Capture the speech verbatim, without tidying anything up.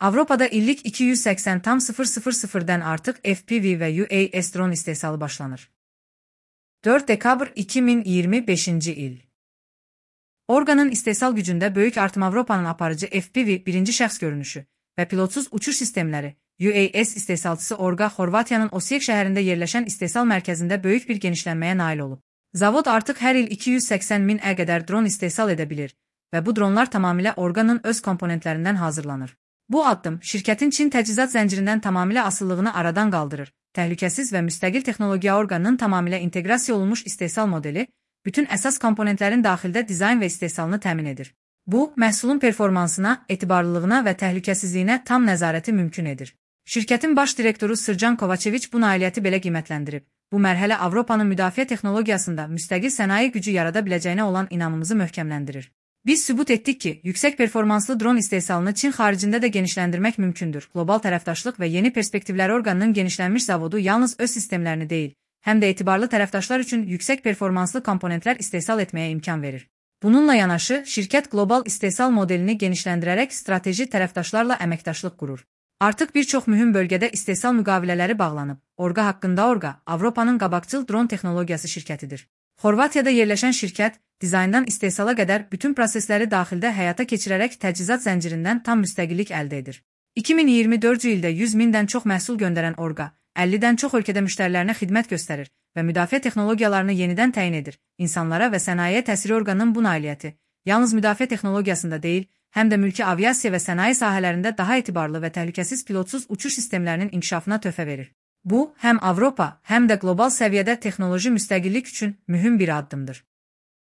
Avropada illik iki yüz səksən min artıq F P V və U A S drone istehsalı başlanır. dörd dekabr iki min iyirmi beşinci il. Orqanın istehsal gücündə böyük artım. Avropanın aparıcı F P V birinci şəxs görünüşü və pilotsuz uçuş sistemləri U A S istehsalçısı Orqa, Xorvatiyanın Osijek şəhərində yerləşən istehsal mərkəzində böyük bir genişlənməyə nail olub. Zavod artıq hər il iki yüz səksən minə qədər dron istehsal edə bilir və bu dronlar tamamilə Orqanın öz komponentlərindən hazırlanır. Bu addım şirkətin Çin təchizat zəncirindən tamamilə asıllığını aradan qaldırır. Təhlükəsiz və müstəqil texnologiya Orqanın tamamilə inteqrasiya olunmuş istehsal modeli bütün əsas komponentlərin daxildə dizayn və istehsalını təmin edir. Bu, məhsulun performansına, etibarlılığına və təhlükəsizliyinə tam nəzarəti mümkün edir. Şirkətin baş direktoru Sırcan Kovačević bu nailiyyəti belə qiymətləndirib. Bu mərhələ Avropanın müdafiə texnologiyasında müstəqil sənaye gücü yarada biləcəyinə olan inamımızı möhkəmləndirir. Biz sübut etdik ki, yüksək performanslı dron istehsalını Çin xaricində də genişləndirmək mümkündür. Qlobal tərəfdaşlıq və yeni perspektivləri Orqanın genişlənmiş zavodu yalnız öz sistemlərini deyil, həm də etibarlı tərəfdaşlar üçün yüksək performanslı komponentlər istehsal etməyə imkan verir. Bununla yanaşı, şirkət qlobal istehsal modelini genişləndirərək strateji tərəfdaşlarla əməkdaşlıq qurur. Artıq bir çox mühüm bölgədə istehsal müqavilələri bağlanıb. Orqa haqqında Orqa, Avropanın qabaqcıl dron texnologiyası şirkətidir. Xorvatiyada yerləşən şirkət, dizayndan istehsala qədər bütün prosesləri daxildə həyata keçirərək təchizat zəncirindən tam müstəqillik əldə edir. iki min iyirmi dördüncü ildə yüz mindən çox məhsul göndərən Orqa, əllidən çox ölkədə müştərilərinə xidmət göstərir və müdafiə texnologiyalarını yenidən təyin edir. İnsanlara və sənayeyə təsiri Orqanın bu nailiyyəti yalnız müdafiə texnologiyasında deyil, həm də mülki aviasiya və sənaye sahələrində daha etibarlı və təhlükəsiz pilotsuz uçuş sistemlərinin inkişafına töhfə verir. Bu, həm Avropa, həm də qlobal səviyyədə texnoloji müstəqillik üçün mühüm bir addımdır.